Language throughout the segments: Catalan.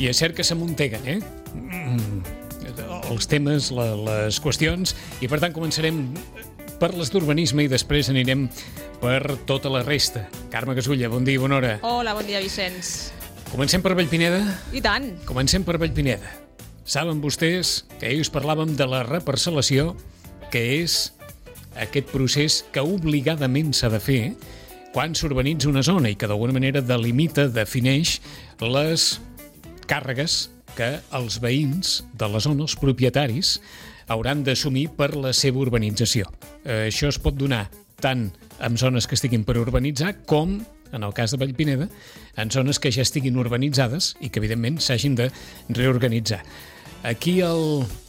I és cert que s'amunteguen, els temes, les qüestions, i per tant començarem per les d'urbanisme i després anirem per tota la resta. Carme Gasulla, bon dia i bona hora. Hola, bon dia, Vicenç. Comencem per Vallpineda? I tant. Comencem per Vallpineda. Saben vostès que ahir us parlàvem de la reparcel·lació, que és aquest procés que obligadament s'ha de fer quan s'urbanitza una zona i que d'alguna manera delimita, defineix les càrregues que els veïns de la zona, els propietaris, hauran d'assumir per la seva urbanització. Això es pot donar tant en zones que estiguin per urbanitzar com, en el cas de Vallpineda, en zones que ja estiguin urbanitzades i que, evidentment, s'hagin de reorganitzar. Aquí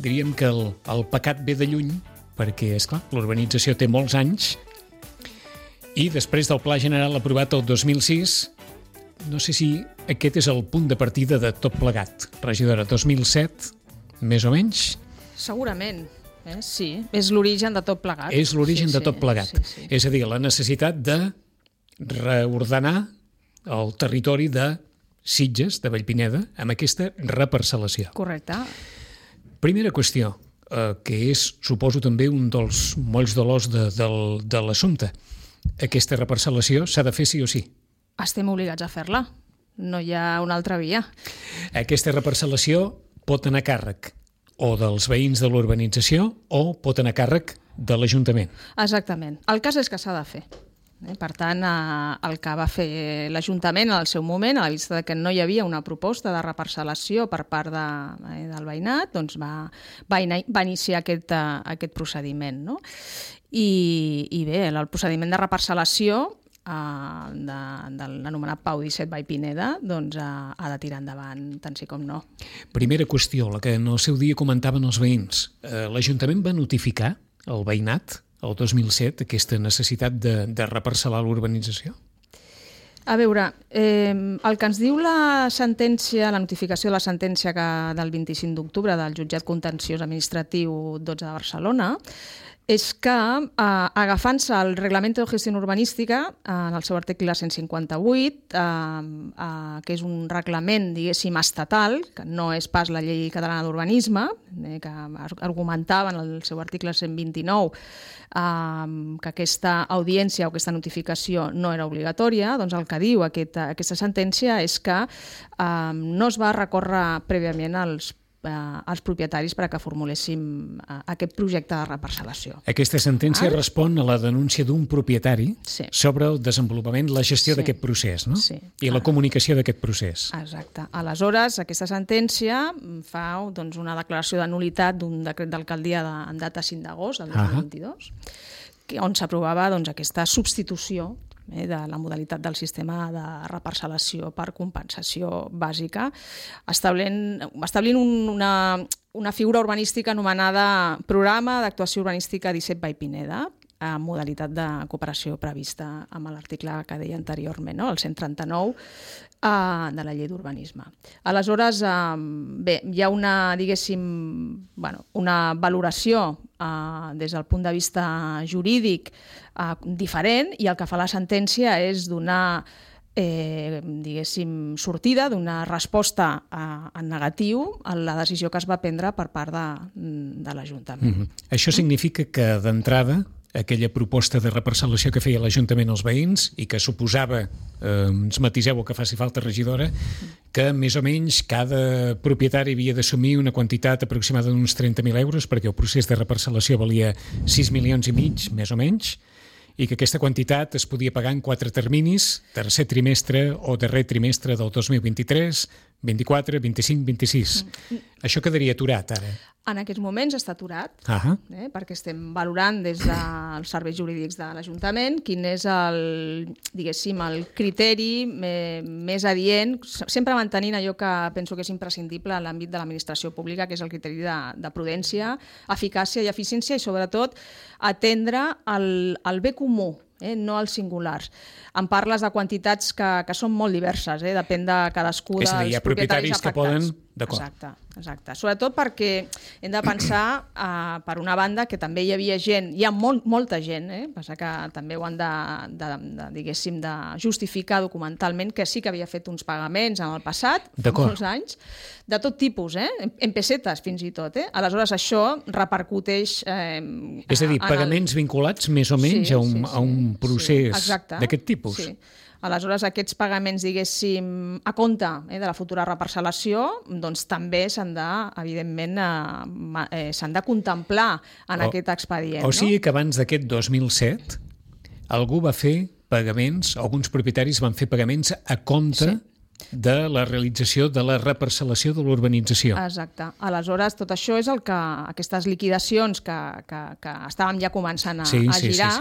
diríem que el pecat ve de lluny, perquè, esclar, l'urbanització té molts anys i després del Pla General aprovat el 2006, no sé si aquest és el punt de partida de tot plegat. Regidora, 2007, més o menys? Segurament, sí. És l'origen de tot plegat. És l'origen de tot plegat. Sí. És a dir, la necessitat de reordenar el territori de Sitges, de Vallpineda, amb aquesta reparcel·lació. Correcte. Primera qüestió, que és, suposo, també un dels molls dolors de l'assumpte. Aquesta reparcel·lació s'ha de fer sí o sí. Estem obligats a fer-la. No hi ha una altra via. Aquesta reparcel·lació pot anar a càrrec o dels veïns de l'urbanització o pot anar a càrrec de l'Ajuntament. Exactament. El cas és que s'ha de fer. Per tant, el que va fer l'Ajuntament en el seu moment, a la vista que no hi havia una proposta de reparcel·lació per part del veïnat, doncs va iniciar aquest procediment. No? I bé, el procediment de reparcel·lació de l'anomenat Pau 17 Vallpineda doncs ha de tirar endavant tant sí com no. Primera qüestió, la que en el seu dia comentaven els veïns. L'Ajuntament va notificar al veïnat el 2007 aquesta necessitat de reparcel·lar l'urbanització? A veure, el que ens diu la sentència, la notificació de la sentència del 25 d'octubre del Jutjat Contenciós Administratiu 12 de Barcelona, és que, agafant-se el Reglamento de Gestión Urbanística, en el seu article 158, que és un reglament, diguéssim, estatal, que no és pas la llei catalana d'urbanisme, que argumentava en el seu article 129 que aquesta audiència o aquesta notificació no era obligatòria, doncs el que diu aquesta sentència és que no es va recórrer prèviament als propietaris per a que formuléssim aquest projecte de reparcel·lació. Aquesta sentència respon a la denúncia d'un propietari sobre el desenvolupament, la gestió d'aquest procés, no? Sí. I la comunicació d'aquest procés. Exacte. Aleshores, aquesta sentència fa una declaració de nul·litat d'un decret d'alcaldia en data 5 d'agost del 2022, on s'aprovava aquesta substitució de la modalitat del sistema de reparcel·lació per compensació bàsica, establint una figura urbanística anomenada Programa d'Actuació Urbanística 17 Vallpineda, amb modalitat de cooperació prevista amb l'article que deia anteriorment, el 139 de la llei d'urbanisme. Aleshores, bé, hi ha una valoració des del punt de vista jurídic diferent, i el que fa la sentència és donar sortida, donar resposta en negatiu a la decisió que es va prendre per part de l'Ajuntament. Això significa que, d'entrada, aquella proposta de reparcel·lació que feia l'Ajuntament als veïns i que suposava, ens matiseu el que faci falta, regidora, que més o menys cada propietari havia d'assumir una quantitat aproximada d'uns 30.000 euros, perquè el procés de reparcel·lació valia 6,5 milions, més o menys, i que aquesta quantitat es podia pagar en 4 terminis, tercer trimestre o darrer trimestre del 2023, 24, 25, 26. Això quedaria aturat, ara? En aquests moments està aturat, perquè estem valorant des dels serveis jurídics de l'Ajuntament quin és el criteri més adient, sempre mantenint allò que penso que és imprescindible en l'àmbit de l'administració pública, que és el criteri de prudència, eficàcia i eficiència, i sobretot atendre el bé comú, no els singulars. Em parles de quantitats que són molt diverses, depèn de cadascú dels propietaris afectats. Hi ha propietaris que poden D'acord. Exacte. Sobretot perquè hem de pensar, per una banda, que també hi havia gent, hi ha molta gent, passa que també ho han diguéssim, de justificar documentalment, que sí que havia fet uns pagaments en el passat, fa molts anys, de tot tipus, en pessetes fins i tot. Aleshores, això repercuteix... És a dir, pagaments vinculats més o menys a un procés d'aquest tipus. Sí. Aleshores, aquests pagaments, diguéssim, a compte de la futura reparcel·lació, doncs també s'han de contemplar en aquest expedient. O sigui que abans d'aquest 2007 algú va fer pagaments, alguns propietaris van fer pagaments a compte de la realització de la reparcel·lació de l'urbanització. Exacte. Aleshores, tot això és el que aquestes liquidacions que estàvem ja començant a girar,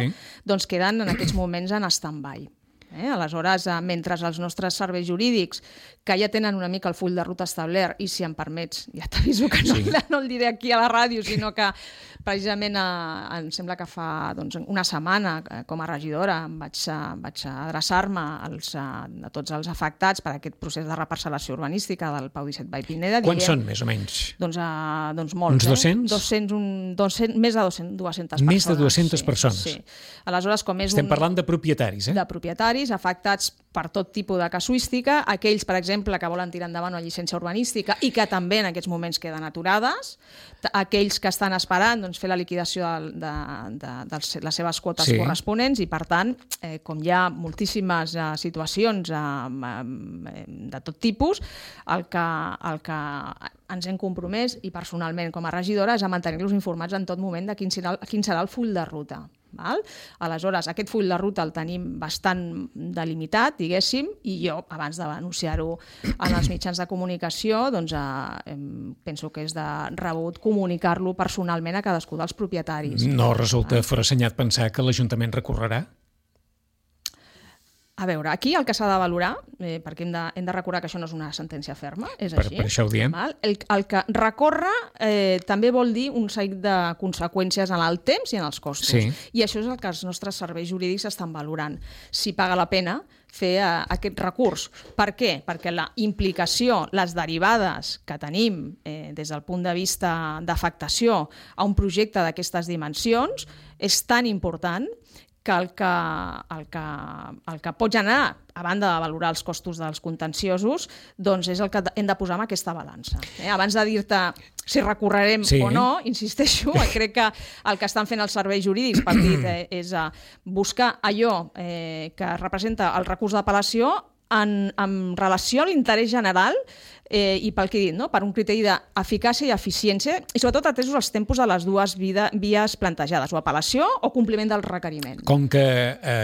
doncs queden en aquests moments en stand-by. Aleshores, mentre els nostres serveis jurídics, que ja tenen una mica el full de ruta establert, i si em permets, ja t'aviso que no el diré aquí a la ràdio, sinó que precisament em sembla que fa una setmana, com a regidora, vaig adreçar-me a tots els afectats per aquest procés de reparcel·lació urbanística del Pau 17 Vall Pineda. Quants són, més o menys? Doncs molts. Uns 200? Més de 200 persones. Més de 200 persones? Sí. Aleshores, com és Estem parlant de propietaris, De propietaris, afectats per tot tipus de casuística, aquells, per exemple, que volen tirar endavant una llicència urbanística i que també en aquests moments queden aturades, aquells que estan esperant fer la liquidació de les seves quotes corresponents, i per tant, com hi ha moltíssimes situacions de tot tipus, el que ens hem compromès, i personalment com a regidora, és a mantenir-los informats en tot moment de quin serà el full de ruta. Aleshores, aquest full de ruta el tenim bastant delimitat, diguéssim, i jo, abans d'anunciar-ho en els mitjans de comunicació, penso que és de rebut comunicar-lo personalment a cadascú dels propietaris. No resulta forassenyat pensar que l'Ajuntament recorrerà? A veure, aquí el que s'ha de valorar, perquè hem de recordar que això no és una sentència ferma, és així. Per això ho diem. El que recorre també vol dir un seguit de conseqüències en el temps i en els costos. Sí. I això és el que els nostres serveis jurídics estan valorant. Si paga la pena fer aquest recurs. Per què? Perquè la implicació, les derivades que tenim des del punt de vista d'afectació a un projecte d'aquestes dimensions és tan important que el que pot generar, a banda de valorar els costos dels contenciosos, doncs és el que hem de posar en aquesta balança. Abans de dir-te si recorrerem o no, insisteixo, crec que el que estan fent els serveis jurídics és buscar allò que representa el recurs d'apel·lació en relació a l'interès general i pel que he dit, per un criteri d'eficàcia i eficiència, i sobretot atesos els tempos de les dues vies plantejades, o apel·lació o compliment del requeriment. Com que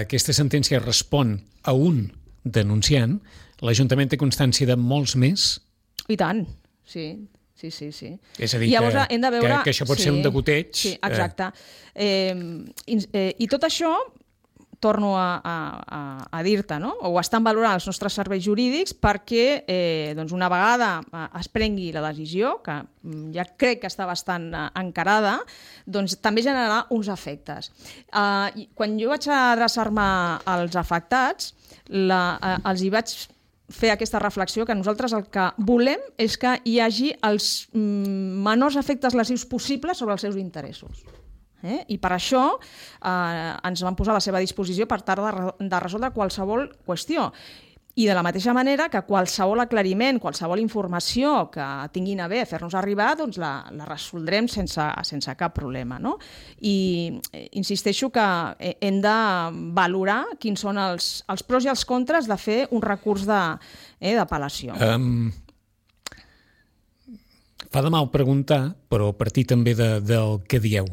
aquesta sentència respon a un denunciant, l'Ajuntament té constància de molts més? I tant, sí. És a dir, que això pot ser un degoteig. Sí, exacte. I tot això, torno a dir-te, ho estan valorant els nostres serveis jurídics perquè una vegada es prengui la decisió, que ja crec que està bastant encarada, doncs també generarà uns efectes. Quan jo vaig adreçar-me als afectats, els hi vaig fer aquesta reflexió que nosaltres el que volem és que hi hagi els menors efectes lesius possibles sobre els seus interessos. I per això ens van posar a la seva disposició per tal de resoldre qualsevol qüestió. I de la mateixa manera que qualsevol aclariment, qualsevol informació que tinguin a bé fer-nos arribar, doncs la resoldrem sense cap problema. I insisteixo que hem de valorar quins són els pros i els contres de fer un recurs d'apel·lació. Fa de mal preguntar, però a partir també del que dieu.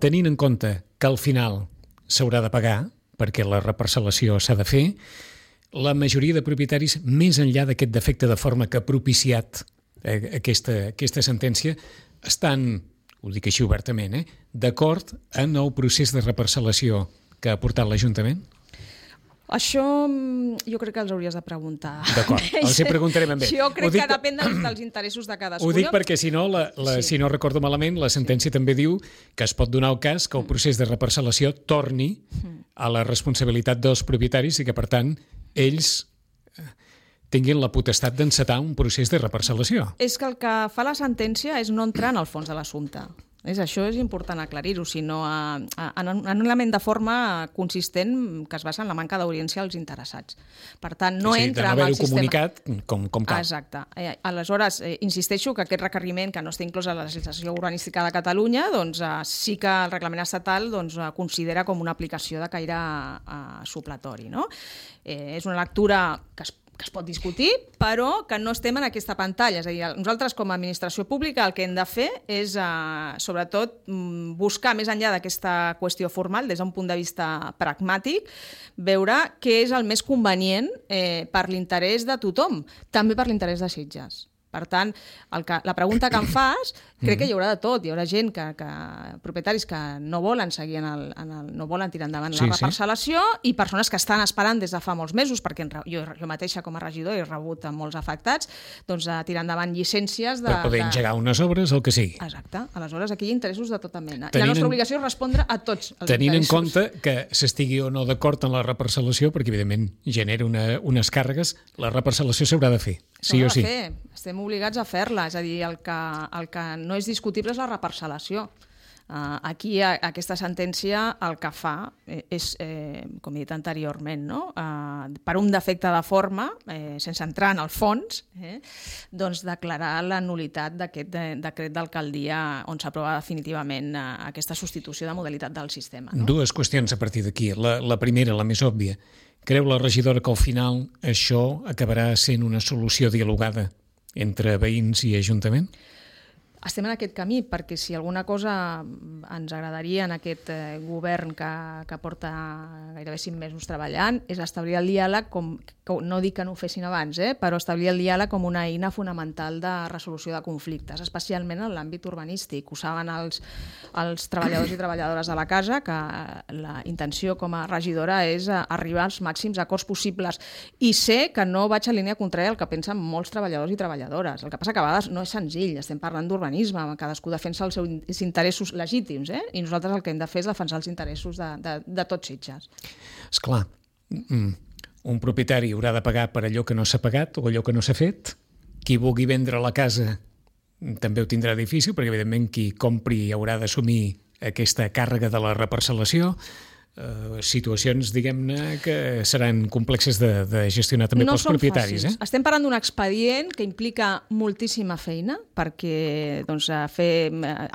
Tenint en compte que al final s'haurà de pagar, perquè la reparcel·lació s'ha de fer, la majoria de propietaris, més enllà d'aquest defecte de forma que ha propiciat aquesta sentència, estan, ho dic així obertament, d'acord en el procés de reparcel·lació que ha portat l'Ajuntament? Això jo crec que els hauries de preguntar. D'acord, els hi preguntarem amb ell. Jo crec que depèn dels interessos de cadascú. Ho dic perquè, si no recordo malament, la sentència també diu que es pot donar el cas que el procés de reparcel·lació torni a la responsabilitat dels propietaris i que, per tant, ells tinguin la potestat d'encetar un procés de reparcel·lació. És que el que fa la sentència és no entrar en el fons de l'assumpte. Això és important aclarir-ho, sinó en un element de forma consistent que es basa en la manca d'audiència als interessats. Per tant, no entra en el sistema... de no haver-ho comunicat com cal. Exacte. Aleshores, insisteixo que aquest requeriment, que no està inclòs a la legislació urbanística de Catalunya, doncs sí que el reglament estatal considera com una aplicació de caire supletori, no? És una lectura que es pot discutir, però que no estem en aquesta pantalla. És a dir, nosaltres com a administració pública el que hem de fer és, sobretot, buscar més enllà d'aquesta qüestió formal, des d'un punt de vista pragmàtic, veure què és el més convenient per l'interès de tothom, també per l'interès de Sitges. Per tant, la pregunta que em fas, crec que hi haurà de tot. Hi haurà gent, propietaris que no volen seguir no volen tirar endavant la reparcel·lació i persones que estan esperant des de fa molts mesos, perquè jo mateixa com a regidor he rebut molts afectats, doncs a tirar endavant llicències per poder engegar unes obres, el que sigui. Exacte. Aleshores, aquí hi ha interessos de tota mena. I la nostra obligació és respondre a tots els interessos. Tenint en compte que s'estigui o no d'acord en la reparcel·lació, perquè evidentment genera unes càrregues, la reparcel·lació s'haurà de fer, sí o sí. Estem obligats a fer-la, és a dir, el que no és discutible és la reparcel·lació. Aquí, aquesta sentència el que fa és, com he dit anteriorment, no? Per un defecte de forma, sense entrar en el fons, doncs declarar la nul·litat d'aquest decret d'alcaldia on s'aprova definitivament aquesta substitució de modalitat del sistema. Dues qüestions a partir d'aquí. La primera, la més òbvia. Creu la regidora que al final això acabarà sent una solució dialogada entre veïns i Ajuntament? Estem en aquest camí, perquè si alguna cosa ens agradaria en aquest govern que porta gairebé 5 mesos treballant és establir el diàleg, no dic que no ho fessin abans, però establir el diàleg com una eina fonamental de resolució de conflictes, especialment en l'àmbit urbanístic. Ho saben els treballadors i treballadores de la casa, que la intenció com a regidora és arribar als màxims acords possibles. I sé que no vaig a línia contrària al que pensen molts treballadors i treballadores. El que passa que a vegades no és senzill, estem parlant d'urbanisme, cadascú defensa els seus interessos legítims, i nosaltres el que hem de fer és defensar els interessos de tots Sitges. Esclar, un propietari haurà de pagar per allò que no s'ha pagat o allò que no s'ha fet. Qui vulgui vendre la casa també ho tindrà difícil, perquè evidentment qui compri haurà d'assumir aquesta càrrega de la reparcel·lació. Situacions, diguem-ne, que seran complexes de gestionar també pels propietaris. Estem parlant d'un expedient que implica moltíssima feina, perquè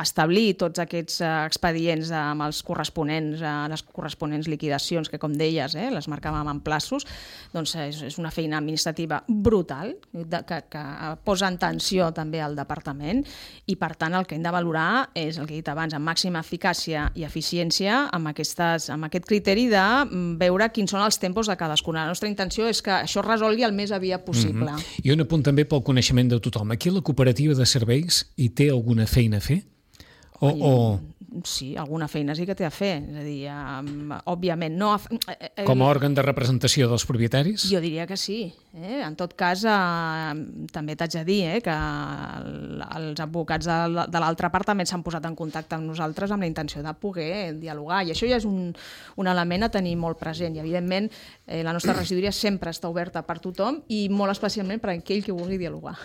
establir tots aquests expedients amb les corresponents liquidacions, que com deies, les marcàvem en plaços, doncs és una feina administrativa brutal, que posa en tensió també al departament, i per tant el que hem de valorar és el que he dit abans, amb màxima eficàcia i eficiència, amb aquest criteri de veure quins són els tempos de cadascuna. La nostra intenció és que això es resolgui el més aviat possible. I un apunt també pel coneixement de tothom. Aquí la cooperativa de serveis hi té alguna feina a fer? Sí, alguna feina sí que té a fer. És a dir, òbviament no... Com a òrgan de representació dels propietaris? Jo diria que sí. En tot cas, també t'haig de dir que els advocats de l'altra part també s'han posat en contacte amb nosaltres amb la intenció de poder dialogar. I això ja és un element a tenir molt present. I, evidentment, la nostra regidoria sempre està oberta per tothom i molt especialment per aquell que vulgui dialogar.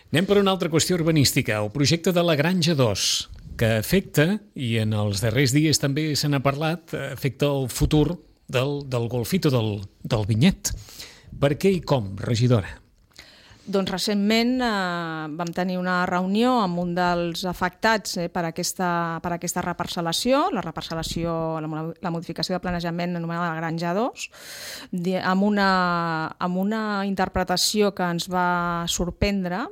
Anem per una altra qüestió urbanística, el projecte de la Granja 2, que afecta, i en els darrers dies també se n'ha parlat, afecta el futur del golfito del Vinyet. Per què i com, regidora? Doncs recentment vam tenir una reunió amb un dels afectats per aquesta reparcel·lació, la modificació de planejament anomenada la Granja 2, amb una interpretació que ens va sorprendre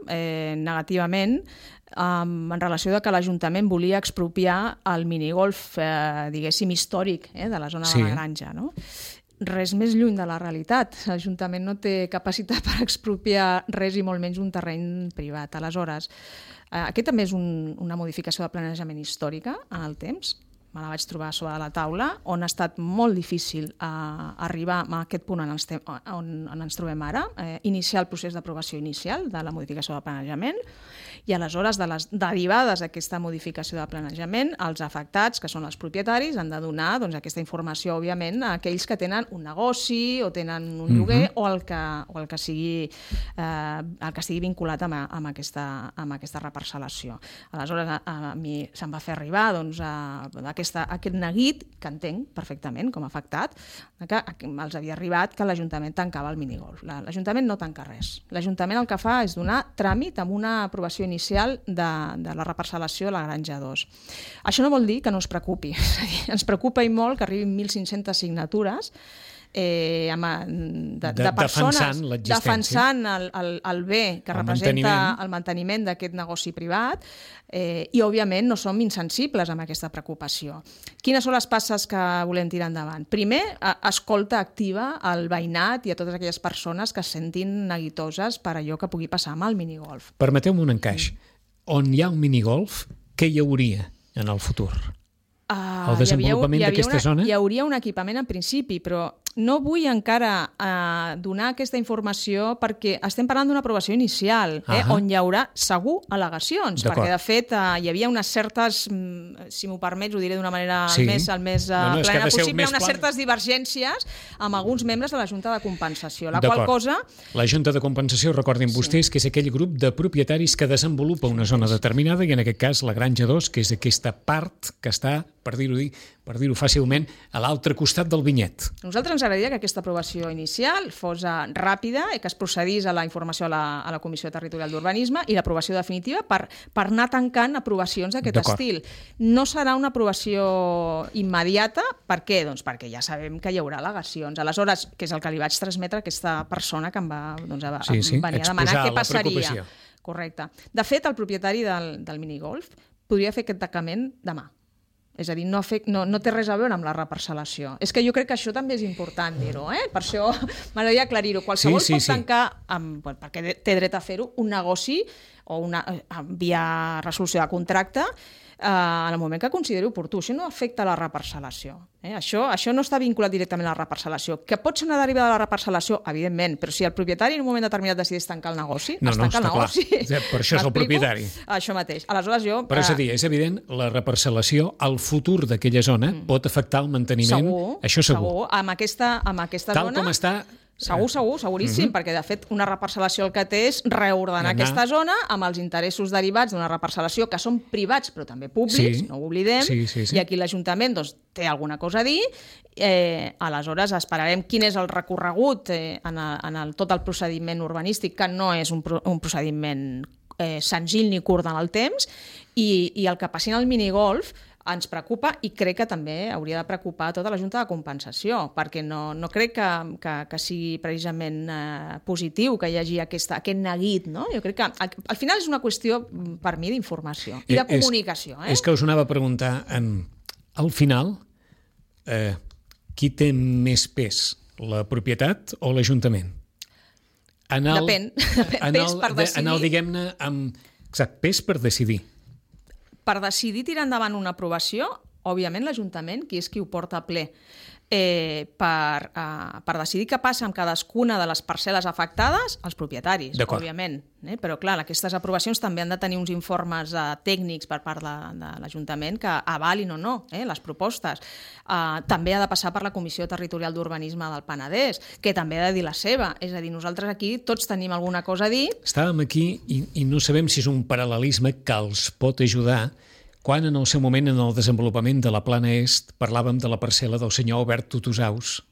negativament, en relació de que l'Ajuntament volia expropiar el minigolf, diguéssim, històric de la zona de la Granja, no? Res més lluny de la realitat. L'Ajuntament no té capacitat per expropiar res i molt menys un terreny privat. Aleshores, aquest també és una modificació de planejament històrica en el temps. Me la vaig trobar sobre la taula, on ha estat molt difícil arribar a aquest punt on ens trobem ara, iniciar el procés d'aprovació inicial de la modificació del planejament, I aleshores, de les derivades d'aquesta modificació de planejament, els afectats, que són els propietaris, han de donar aquesta informació, òbviament, a aquells que tenen un negoci o tenen un lloguer o el que sigui vinculat amb aquesta reparcel·lació. Aleshores, a mi se'm va fer arribar aquest neguit, que entenc perfectament com a afectat, que els havia arribat que l'Ajuntament tancava el minigolf. L'Ajuntament no tanca res. L'Ajuntament el que fa és donar tràmit amb una aprovació inicial de la reparcel·lació a la Granja 2. Això no vol dir que no ens preocupi. Ens preocupa i molt que arribin 1.500 signatures de persones defensant el bé que representa el manteniment d'aquest negoci privat i, òbviament, no som insensibles amb aquesta preocupació. Quines són les passes que volem tirar endavant? Primer, escolta activa al veïnat i a totes aquelles persones que es sentin neguitoses per allò que pugui passar amb el minigolf. Permeteu-me un encaix. On hi ha un minigolf, què hi hauria en el futur? El desenvolupament d'aquesta zona? Hi hauria un equipament en principi, però no vull encara donar aquesta informació perquè estem parlant d'una aprovació inicial, on hi haurà segur al·legacions, perquè de fet hi havia unes certes, si m'ho permets, ho diré d'una manera el més plena possible, unes certes divergències amb alguns membres de la Junta de Compensació, la qual cosa... La Junta de Compensació, recordin vostès, que és aquell grup de propietaris que desenvolupa una zona determinada i en aquest cas la Granja 2, que és aquesta part que està, per dir-ho fàcilment, a l'altre costat del vinyet. A nosaltres ens agradaria que aquesta aprovació inicial fos ràpida i que es procedís a la informació a la Comissió Territorial d'Urbanisme i l'aprovació definitiva per anar tancant aprovacions d'aquest estil. No serà una aprovació immediata. Per què? Doncs perquè ja sabem que hi haurà al·legacions. Aleshores, que és el que li vaig transmetre a aquesta persona que em va venir a demanar què passaria. Correcte. De fet, el propietari del minigolf podria fer aquest tancament demà. És a dir, no té res a veure amb la reparcel·lació. És que jo crec que això també és important dir-ho, Per això m'agradaria aclarir-ho. Qualsevol pot tancar, perquè té dret a fer-ho, un negoci o via resolució de contracte en el moment que consideri oportú. Això no afecta la reparcel·lació. Això no està vinculat directament a la reparcel·lació. Que pot ser una derivada de la reparcel·lació, evidentment, però si el propietari en un moment determinat decideix tancar el negoci, es tanca el negoci. Per això és el propietari. Això mateix. Aleshores jo... Però és a dir, és evident, la reparcel·lació, el futur d'aquella zona pot afectar el manteniment. Segur. Això segur. Amb aquesta zona... Tal com està... Seguríssim, perquè de fet una reparcel·lació el que té és reordenar aquesta zona amb els interessos derivats d'una reparcel·lació que són privats però també públics, no ho oblidem, i aquí l'Ajuntament té alguna cosa a dir, aleshores esperarem quin és el recorregut en tot el procediment urbanístic, que no és un procediment senzill ni curt en el temps, i el que passi en el minigolf ens preocupa i crec que també hauria de preocupar tota la Junta de Compensació, perquè no crec que sigui precisament positiu que hi hagi aquest neguit, no? Jo crec que al final és una qüestió, per mi, d'informació i de comunicació. És que us anava a preguntar, al final, qui té més pes, la propietat o l'Ajuntament? Depèn, pes per decidir. Diguem-ne, pes per decidir. Per decidir tirar endavant una aprovació, òbviament l'Ajuntament, qui és qui ho porta a ple, per decidir què passa amb cadascuna de les parcel·les afectades, els propietaris, òbviament. Però, clar, aquestes aprovacions també han de tenir uns informes tècnics per part de l'Ajuntament que avalin o no les propostes. També ha de passar per la Comissió Territorial d'Urbanisme del Penedès, que també ha de dir la seva. És a dir, nosaltres aquí tots tenim alguna cosa a dir. Estàvem aquí i no sabem si és un paral·lelisme que els pot ajudar quan en el seu moment, en el desenvolupament de la Plana Est, parlàvem de la parcel·la del senyor Albert Tutusaus,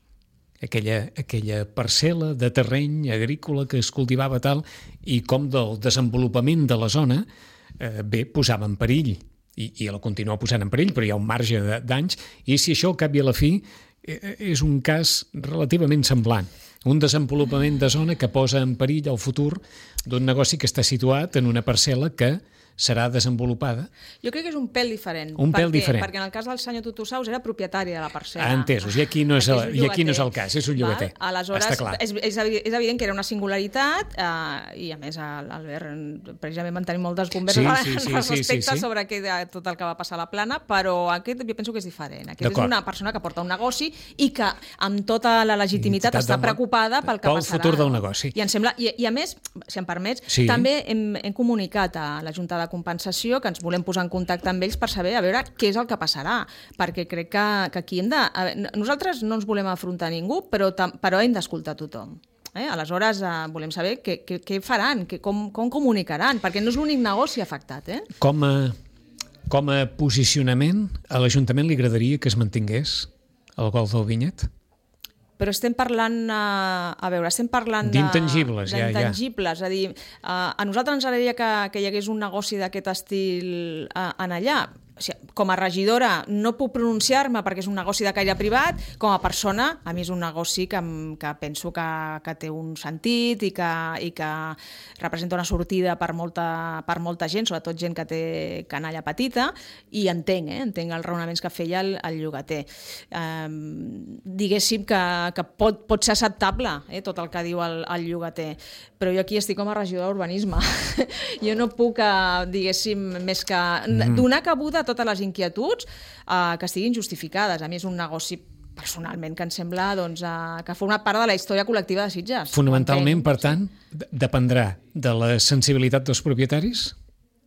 aquella parcel·la de terreny agrícola que es cultivava tal, i com del desenvolupament de la zona posava en perill, i la continua posant en perill, però hi ha un marge d'anys, i si això al cap i a la fi és un cas relativament semblant. Un desenvolupament de zona que posa en perill el futur d'un negoci que està situat en una parcel·la que serà desenvolupada. Jo crec que és un pèl diferent. Perquè en el cas del senyor Tutusaus era propietari de la parcel·la. Entesos, i aquí no és el cas, és un llogater. Aleshores, està clar. És evident que era una singularitat i a més l'Albert precisament van tenir moltes converses respecte sobre tot el que va passar a la Plana, però aquest jo penso que és diferent. Aquest és una persona que porta un negoci i que amb tota la legitimitat està preocupada pel que passarà. Pel futur del negoci. I em sembla, i a més, si em permets, també hem comunicat a la Junta de Compensació que ens volem posar en contacte amb ells per saber a veure què és el que passarà, perquè crec que aquí hem de... Nosaltres no ens volem afrontar ningú, però hem d'escoltar tothom. Aleshores, volem saber què faran, com comunicaran, perquè no és l'únic negoci afectat. Com a posicionament, a l'Ajuntament li agradaria que es mantingués el golf del Vinyet? Però estem parlant, estem parlant d'intangibles, d'intangibles, és a dir, a nosaltres ens agradaria que hi hagués un negoci d'aquest estil en allà. O sigui, com a regidora no puc pronunciar-me perquè és un negoci de caire privat, com a persona, a mi és un negoci que penso que té un sentit i que representa una sortida per molta gent, sobretot gent que té canalla petita, i entenc els raonaments que feia el llogater. Diguéssim que pot ser acceptable tot el que diu el llogater, però jo aquí estic com a regidora d'urbanisme. Jo no puc, diguéssim, més que donar cabuda a totes les inquietuds que estiguin justificades. A mi és un negoci personalment que em sembla que forma part de la història col·lectiva de Sitges. Fonamentalment, per tant, dependrà de la sensibilitat dels propietaris?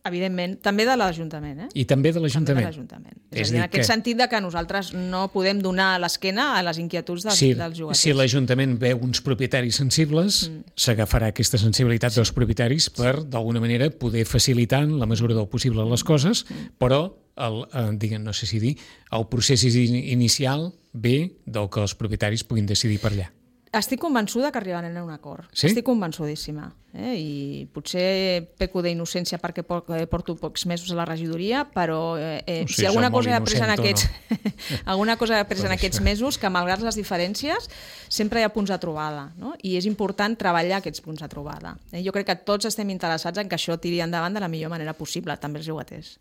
Evidentment, també de l'Ajuntament. I també de l'Ajuntament. És a dir, en aquest sentit que nosaltres no podem donar l'esquena a les inquietuds dels llogaters. Si l'Ajuntament veu uns propietaris sensibles, s'agafarà aquesta sensibilitat dels propietaris per, d'alguna manera, poder facilitar en la mesura del possible les coses, però no sé si dir, el procés inicial ve del que els propietaris puguin decidir per allà. Estic convençuda que arribaran a un acord. Sí? Estic convençudíssima. I potser peco d'innocència perquè porto pocs mesos a la regidoria, però si alguna cosa he après en aquests mesos, que malgrat les diferències sempre hi ha punts de trobada, no? I és important treballar aquests punts de trobada. Jo crec que tots estem interessats en que això tiri endavant de la millor manera possible, també els llogaters.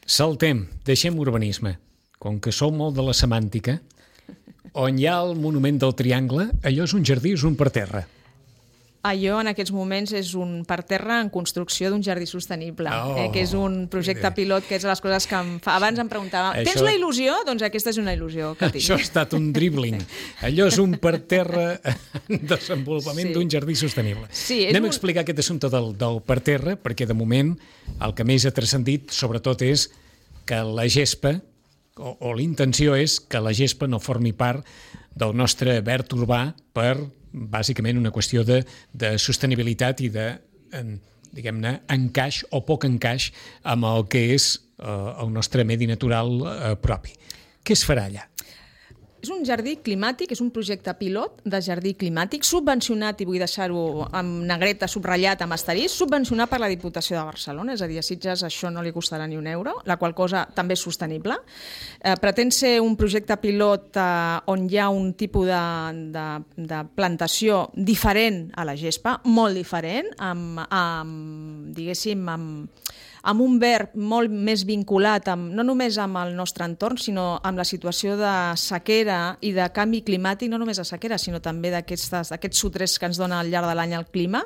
Saltem, deixem urbanisme. Com que sou molt de la semàntica, on hi ha el monument del Triangle, allò és un jardí o és un parterre? Allò en aquests moments és un parterre en construcció d'un jardí sostenible, que és un projecte pilot, que és les coses que em fa. Abans em preguntava, tens la il·lusió? Doncs aquesta és una il·lusió que tinc. Això ha estat un dribbling. Allò és un parterre en desenvolupament d'un jardí sostenible. Anem a explicar aquest assumpte del parterre, perquè de moment el que més ha transcendit sobretot és que la gespa, o la intenció és que la gespa no formi part del nostre verd urbà per, bàsicament, una qüestió de sostenibilitat i de, diguem-ne, encaix o poc encaix amb el que és el nostre medi natural propi. Què es farà allà? És un jardí climàtic, és un projecte pilot de jardí climàtic subvencionat, i vull deixar-ho amb negreta subratllat amb asterisc, subvencionat per la Diputació de Barcelona, és a dir, a Sitges això no li costarà ni un euro, la qual cosa també és sostenible. Pretén ser un projecte pilot on hi ha un tipus de plantació diferent a la gespa, molt diferent, diguéssim, amb un verd molt més vinculat no només amb el nostre entorn, sinó amb la situació de sequera i de canvi climàtic, no només de sequera, sinó també d'aquests sotrers que ens dona al llarg de l'any el clima,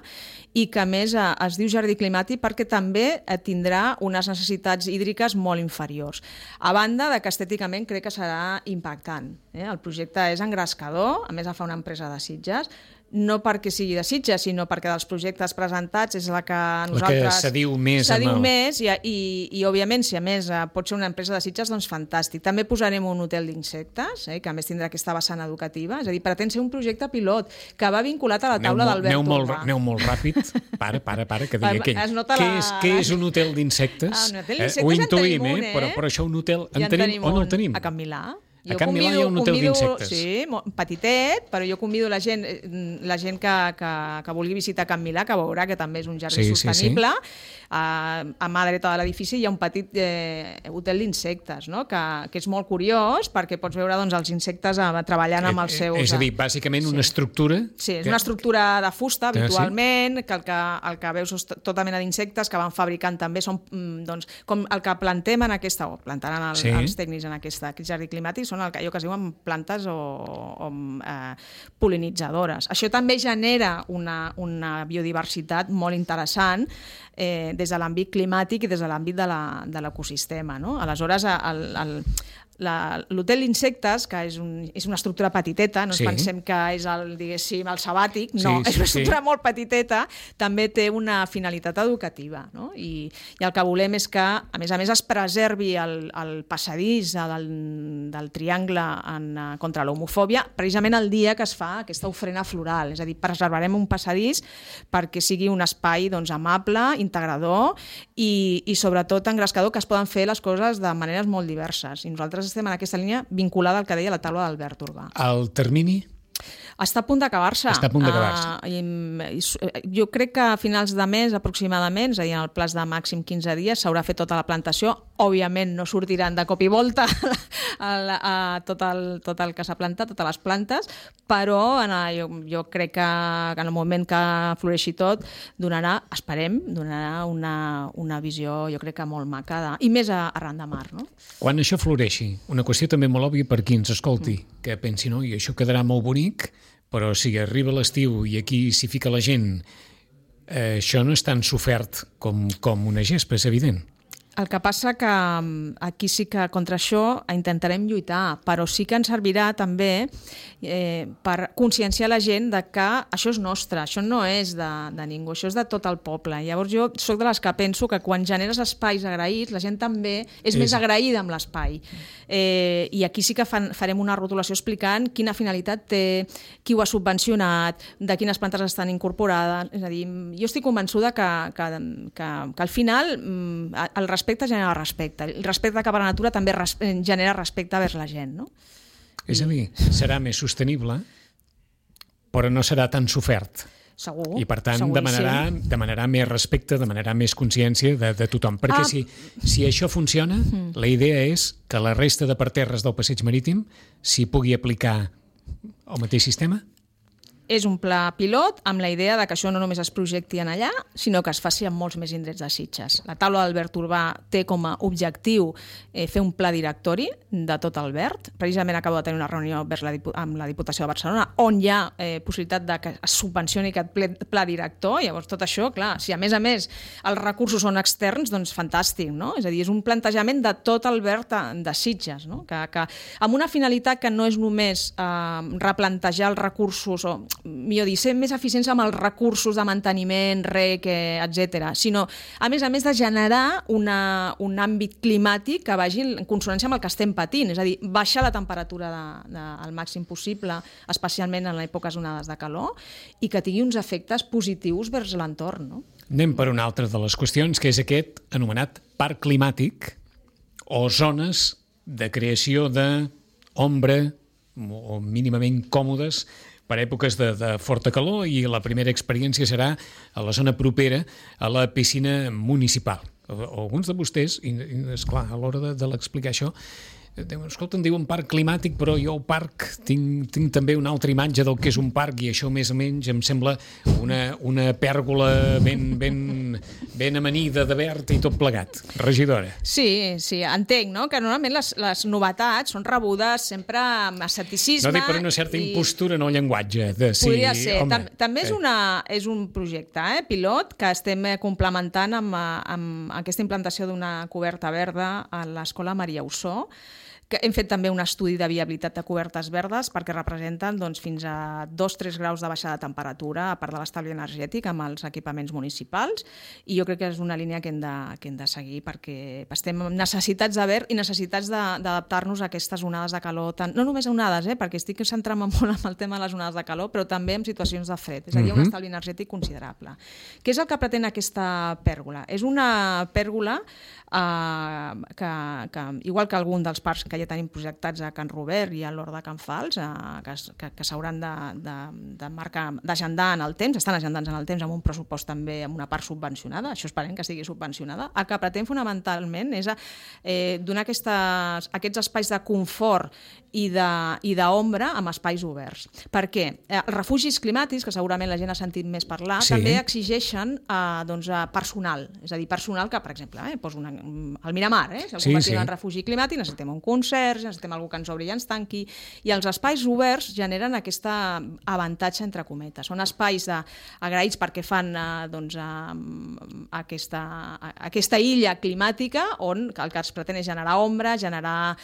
i que a més es diu jardí climàtic perquè també tindrà unes necessitats hídriques molt inferiors. A banda de que estèticament crec que serà impactant. El projecte és engrescador, a més el fa una empresa de Sitges, no perquè sigui de Sitges, sinó perquè dels projectes presentats és la que nosaltres... La que s'adiu més. S'adiu més i òbviament, si a més pot ser una empresa de Sitges, doncs fantàstic. També posarem un hotel d'insectes, que a més tindrà aquesta vessant educativa, és a dir, pretén ser un projecte pilot que va vinculat a la taula d'Albert Urbà. Aneu molt ràpid. Para, que digui què és un hotel d'insectes? Un hotel d'insectes ho intuïm, però això un hotel en tenim o no el tenim? A Can Milà. A Can Milà hi ha un hotel d'insectes. Sí, petitet, però jo convido la gent que vulgui visitar Can Milà, que veurà que també és un jardí sostenible. A mà dreta de l'edifici hi ha un petit hotel d'insectes, no? que és molt curiós perquè pots veure doncs, els insectes treballant amb els seus... És a dir, bàsicament una estructura... Sí, és una estructura de fusta, habitualment, que el que veus és tota mena d'insectes que van fabricant també, són doncs, com el que plantem en aquesta, o plantaran els tècnics en aquest jardí climàtic, són allò que es diuen plantes o pol·linitzadores. Això també genera una biodiversitat molt interessant des de l'àmbit climàtic i des de l'àmbit de l'ecosistema. No? Aleshores, l'hotel d'insectes, que és una estructura petiteta, no ens pensem que és el sabàtic, no, és una estructura molt petiteta, també té una finalitat educativa. No? I el que volem és que, a més, es preservi el passadís del triangle contra l'homofòbia, precisament el dia que es fa aquesta ofrena floral. És a dir, preservarem un passadís perquè sigui un espai amable, integrador i sobretot engrescador, que es poden fer les coses de maneres molt diverses. I nosaltres estem en aquesta línia vinculada al que deia la taula d'Albert Urbà. El termini? Està a punt d'acabar-se. Jo crec que a finals de mes, aproximadament, és a dir, en el plaç de màxim 15 dies, s'haurà fet tota la plantació. Òbviament no sortiran de cop i volta tot el que s'ha plantat, totes les plantes, però jo crec que en el moment que floreixi tot donarà una visió, jo crec que molt maca, i més arran de mar. No? Quan això floreixi, una qüestió també molt òbvia per qui ens escolti, que pensi, no, i això quedarà molt bonic, però si arriba l'estiu i aquí s'hi fica la gent, això no és tan sofert com una gespa, és evident. El que passa que aquí sí que contra això intentarem lluitar, però sí que ens servirà també per conscienciar la gent de que això és nostre, això no és de ningú, això és de tot el poble. Llavors jo soc de les que penso que quan generes espais agraïts, la gent també és més agraïda amb l'espai. I aquí sí que farem una rotulació explicant quina finalitat té, qui ho ha subvencionat, de quines plantes estan incorporades. És a dir, jo estic convençuda que al final el respecte genera respecte. El respecte cap a la natura també genera respecte vers la gent, no? És a dir, serà més sostenible, però no serà tan sofert. Segur. I, per tant, demanarà més respecte, demanarà més consciència de tothom. Perquè si això funciona, la idea és que la resta de parterres del passeig marítim s'hi pugui aplicar el mateix sistema? És un pla pilot amb la idea de que això no només es projecti en allà, sinó que es faci en molts més indrets de Sitges. La taula d'Albert Urbà té com a objectiu fer un pla directori de tot Albert. Precisament acabo de tenir una reunió amb la Diputació de Barcelona on hi ha possibilitat de que es subvencioni aquest pla director. Llavors, tot això, clar, si a més els recursos són externs, doncs fantàstic, no? És a dir, és un plantejament de tot Albert de Sitges, no? Que amb una finalitat que no és només replantejar els recursos o millor dir, ser més eficients amb els recursos de manteniment, rec, etc., sinó, a més de generar un àmbit climàtic que vagi en consonància amb el que estem patint, és a dir, baixar la temperatura al màxim possible, especialment en èpoques onades de calor, i que tingui uns efectes positius vers l'entorn. No? Anem per una altra de les qüestions, que és aquest anomenat parc climàtic o zones de creació d'ombra o mínimament còmodes per èpoques de forta calor, i la primera experiència serà a la zona propera a la piscina municipal. Alguns de vostès, i esclar, a l'hora de l'explicar això, escolta, em diuen parc climàtic, però jo al parc tinc també una altra imatge del que és un parc, i això més o menys em sembla una pèrgola ben amanida de verd i tot plegat. Regidora. Sí, entenc, no? Que normalment les novetats són rebudes sempre amb escepticisme. No dic per una certa impostura en el llenguatge. Podria ser. També és un projecte pilot que estem complementant amb aquesta implantació d'una coberta verda a l'Escola Maria Ossó, que hem fet també un estudi de viabilitat de cobertes verdes perquè representen fins a 2-3 graus de baixada de temperatura a part de l'estalvi energètic amb els equipaments municipals, i jo crec que és una línia que hem de seguir perquè estem necessitats de verd i necessitats d'adaptar-nos a aquestes onades de calor, no només a onades, perquè estic centrant-me molt en el tema de les onades de calor, però també en situacions de fred, és a dir, un estalvi energètic considerable. Què és el que pretén aquesta pèrgola? És una pèrgola que igual que algun dels parcs que ja tenim projectats a Can Robert i a l'Hort de Can Fals, que s'hauran d'agendar en el temps, estan agendants en el temps amb un pressupost també amb una part subvencionada, això esperem que estigui subvencionada. El que pretén fonamentalment és donar aquests espais de confort i d'ombra amb espais oberts. Per què? Els refugis climàtics, que segurament la gent ha sentit més parlar, també exigeixen personal, és a dir, personal que, per exemple, poso al Miramar, si el convertim en refugi climàtic, necessitem un concert, necessitem algú que ens obri i ens tanqui, i els espais oberts generen aquest avantatge entre cometes. Són espais agraïts perquè fan aquesta illa climàtica on el que es pretén és generar ombra, generar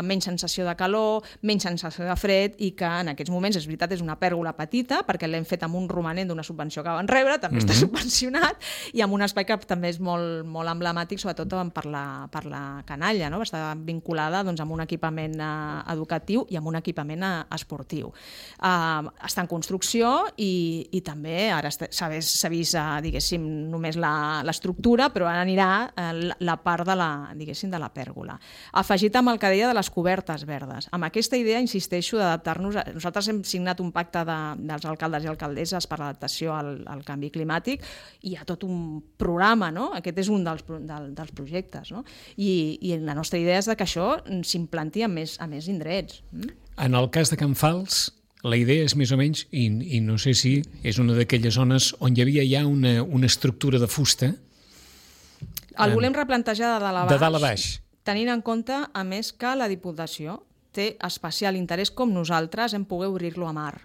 menys sensació de calor, menys sensació de fred, i que en aquests moments, és veritat, és una pèrgola petita perquè l'hem fet amb un romanent d'una subvenció que van rebre, també està subvencionat, i amb un espai que també és molt, molt emblemàtic, sobretot per la canalla, no? Està vinculada amb un equipament educatiu i amb un equipament esportiu. Està en construcció i també ara s'ha vist, diguéssim, només l'estructura, però ara anirà la part de la pèrgola. Afegit amb el que deia de les cobertes verdes. Amb aquesta idea, insisteixo, d'adaptar-nos. Nosaltres hem signat un pacte dels alcaldes i alcaldesses per l'adaptació al canvi climàtic, i hi ha tot un programa, no? Aquest és un dels projectes, no? I la nostra idea és que això s'implanti a més indrets. En el cas de Can Fals, la idea és més o menys, i no sé si és una d'aquelles zones on hi havia ja una estructura de fusta. El volem replantejar de dalt a baix. Tenint en compte, a més, que la Diputació té especial interès, com nosaltres, en poder obrir-lo a mar.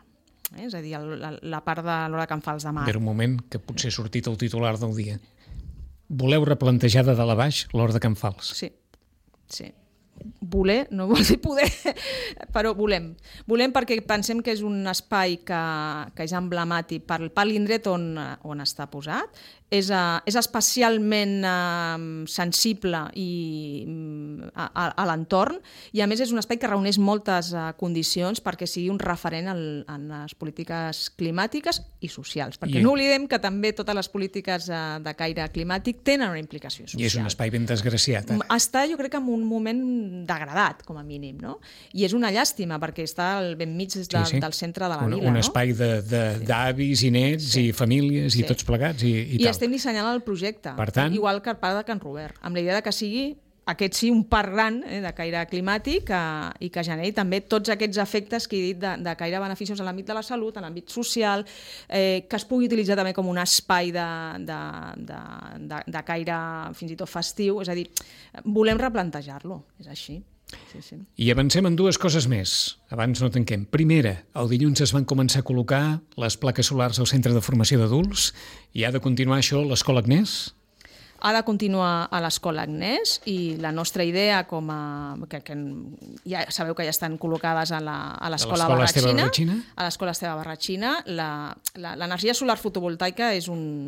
És a dir, la part de l'Hort de Can Fals de mar. Per un moment, que potser ha sortit el titular del dia. Voleu replantejar de dalt a baix l'Hort de Can Fals? Sí. Voler, no vol dir poder, però volem. Volem perquè pensem que és un espai que és emblemàtic per l'indret on està posat. És especialment sensible a l'entorn, i a més és un espai que reuneix moltes condicions perquè sigui un referent en les polítiques climàtiques i socials, perquè no oblidem que també totes les polítiques de caire climàtic tenen una implicació social. I és un espai ben desgraciat. Està, jo crec, en un moment degradat, com a mínim, no? I és una llàstima perquè està ben mig del centre de la vila. Un espai d'avis i nets i famílies i tots plegats i tal. Estem dissenyant el projecte, igual que el parc de Can Robert, amb la idea que sigui un parc gran de caire climàtic i que generi també tots aquests efectes que he dit de caire beneficiós en l'àmbit de la salut, en l'àmbit social, que es pugui utilitzar també com un espai de caire fins i tot festiu. És a dir, volem replantejar-lo, és així. Sí. I avancem en dues coses més. Abans no tanquem. Primera, el dilluns es van començar a col·locar les plaques solars al centre de formació d'adults, i ha de continuar això a l'Escola Agnès? Ha de continuar a l'Escola Agnès, i la nostra idea, que ja sabeu que ja estan col·locades a l'Escola Barratxina, a l'Escola Esteve Barratxina, l'energia solar fotovoltaica és una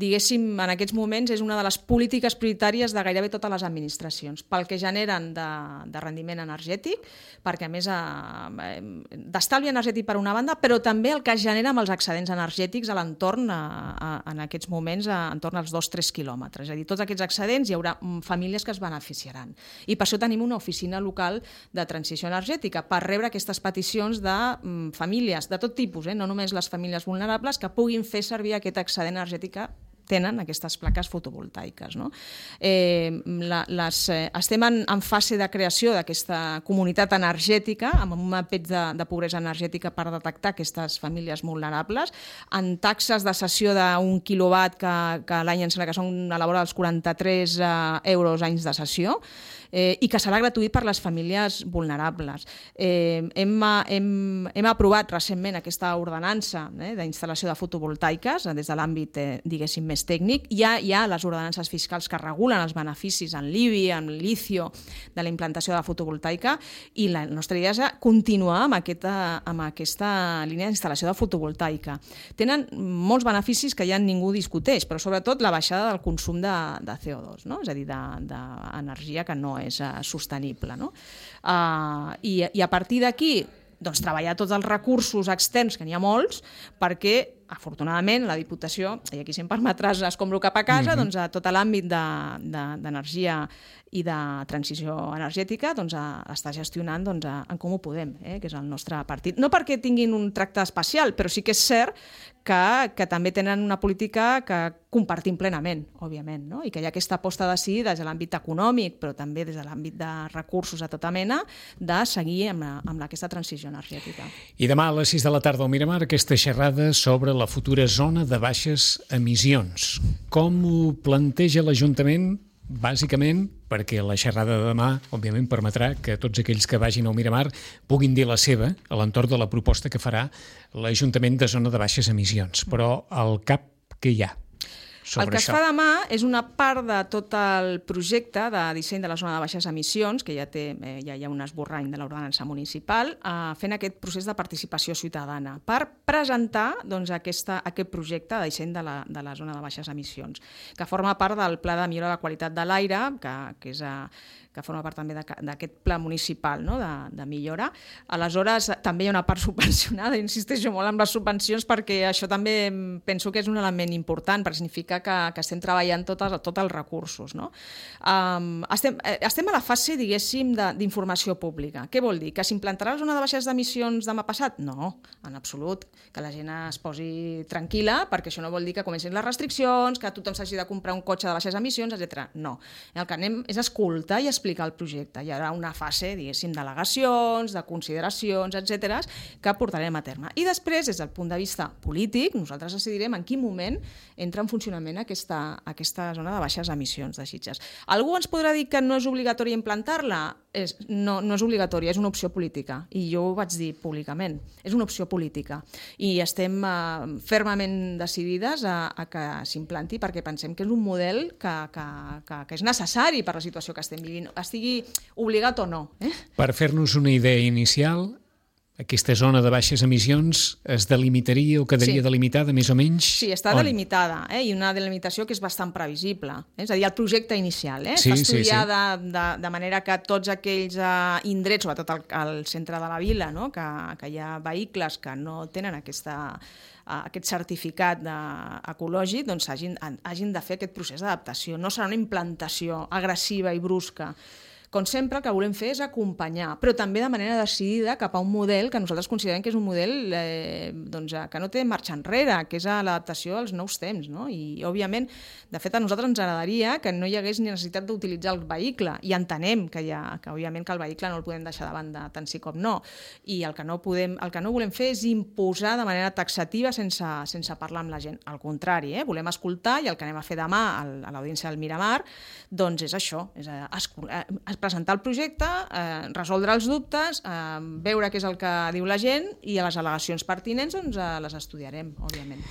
diguéssim, en aquests moments és una de les polítiques prioritàries de gairebé totes les administracions, pel que generen de rendiment energètic, perquè a més d'estalvi energètic per una banda, però també el que es genera amb els excedents energètics a l'entorn en aquests moments entorn als 2-3 quilòmetres. És a dir, tots aquests excedents hi haurà famílies que es beneficiaran. I per això tenim una oficina local de transició energètica, per rebre aquestes peticions de famílies de tot tipus, no només les famílies vulnerables, que puguin fer servir aquest excedent energètic que tenen aquestes plaques fotovoltaiques. No? Estem en fase de creació d'aquesta comunitat energètica, amb un mapeig de pobresa energètica per detectar aquestes famílies vulnerables, en taxes de cessió d'1 quilowatt que l'any em sembla que són a la vora dels 43 euros anys de cessió, i que serà gratuït per les famílies vulnerables. Hem aprovat recentment aquesta ordenança d'instal·lació de fotovoltaiques des de l'àmbit, diguéssim, més tècnic. Hi ha les ordenances fiscals que regulen els beneficis en l'IBI, en l'ICIO, de la implantació de la fotovoltaica, i la nostra idea és continuar amb aquesta línia d'instal·lació de fotovoltaica. Tenen molts beneficis que ja ningú discuteix, però sobretot la baixada del consum de CO2, no? És a dir, d'energia que no és sostenible. No? I a partir d'aquí, treballar tots els recursos externs, que n'hi ha molts, perquè afortunadament, la Diputació, i aquí si em permetràs escombro cap a casa, doncs a tot l'àmbit d'energia i de transició energètica està gestionant en Comú Podem, que és el nostre partit. No perquè tinguin un tracte especial, però sí que és cert que també tenen una política que compartim plenament, òbviament, no? I que hi ha aquesta aposta de sí des de l'àmbit econòmic, però també des de l'àmbit de recursos de tota mena, de seguir amb aquesta transició energètica. I demà a les 6 de la tarda al Miramar, aquesta xerrada sobre la futura zona de baixes emissions. Com ho planteja l'Ajuntament? Bàsicament perquè la xerrada de demà, òbviament, permetrà que tots aquells que vagin al Miramar puguin dir la seva a l'entorn de la proposta que farà l'Ajuntament de zona de baixes emissions. Però al cap, què hi ha sobre això? El que es fa demà és una part de tot el projecte de disseny de la zona de baixes emissions, que ja hi ha un esborrany de l'ordenança municipal, fent aquest procés de participació ciutadana per presentar aquest projecte de disseny de la zona de baixes emissions, que forma part del Pla de millora de la qualitat de l'aire, que forma part també d'aquest pla municipal, no? de millora. Aleshores, també hi ha una part subvencionada, insisteixo molt en les subvencions perquè això també penso que és un element important, perquè significa que estem treballant tots els recursos. No? Estem a la fase, diguéssim, d'informació pública. Què vol dir? Que s'implantarà la zona de baixes d'emissions demà passat? No, en absolut. Que la gent es posi tranquil·la, perquè això no vol dir que comencin les restriccions, que tothom s'hagi de comprar un cotxe de baixes emissions, etc. No. El que anem és escoltar i explicar el projecte. Hi haurà una fase, diguéssim, d'al·legacions, de consideracions, etc., que portarem a terme. I després, des del punt de vista polític, nosaltres decidirem en quin moment entra en funcionament aquesta zona de baixes emissions de Sitges. Algú ens podrà dir que no és obligatori implantar-la? No és obligatòria, és una opció política. I jo ho vaig dir públicament. És una opció política. I estem fermament decidides a que s'implanti perquè pensem que és un model que és necessari per la situació que estem vivint, estigui obligat o no. Per fer-nos una idea inicial, aquesta zona de baixes emissions es delimitaria o quedaria delimitada més o menys? Sí, està delimitada, i una delimitació que és bastant previsible. És a dir, el projecte inicial està estudiat de manera que tots aquells indrets, sobretot al centre de la vila, no? que hi ha vehicles que no tenen aquest certificat ecològic, doncs hagin de fer aquest procés d'adaptació. No serà una implantació agressiva i brusca. Com sempre, el que volem fer és acompanyar, però també de manera decidida cap a un model que nosaltres considerem que és un model que no té marxa enrere, que és l'adaptació als nous temps. No? I, òbviament, de fet, a nosaltres ens agradaria que no hi hagués ni necessitat d'utilitzar el vehicle, i entenem que òbviament que el vehicle no el podem deixar de banda tant sí com no. I el que no volem fer és imposar de manera taxativa sense parlar amb la gent. Al contrari, volem escoltar, i el que anem a fer demà a l'audiència del Miramar doncs és això, és presentar el projecte, resoldre els dubtes, veure què és el que diu la gent i a les al·legacions pertinents les estudiarem, òbviament.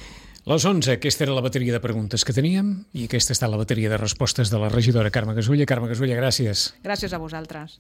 Les 11, aquesta era la bateria de preguntes que teníem i aquesta està la bateria de respostes de la regidora Carme Gasulla. Carme Gasulla, gràcies. Gràcies a vosaltres.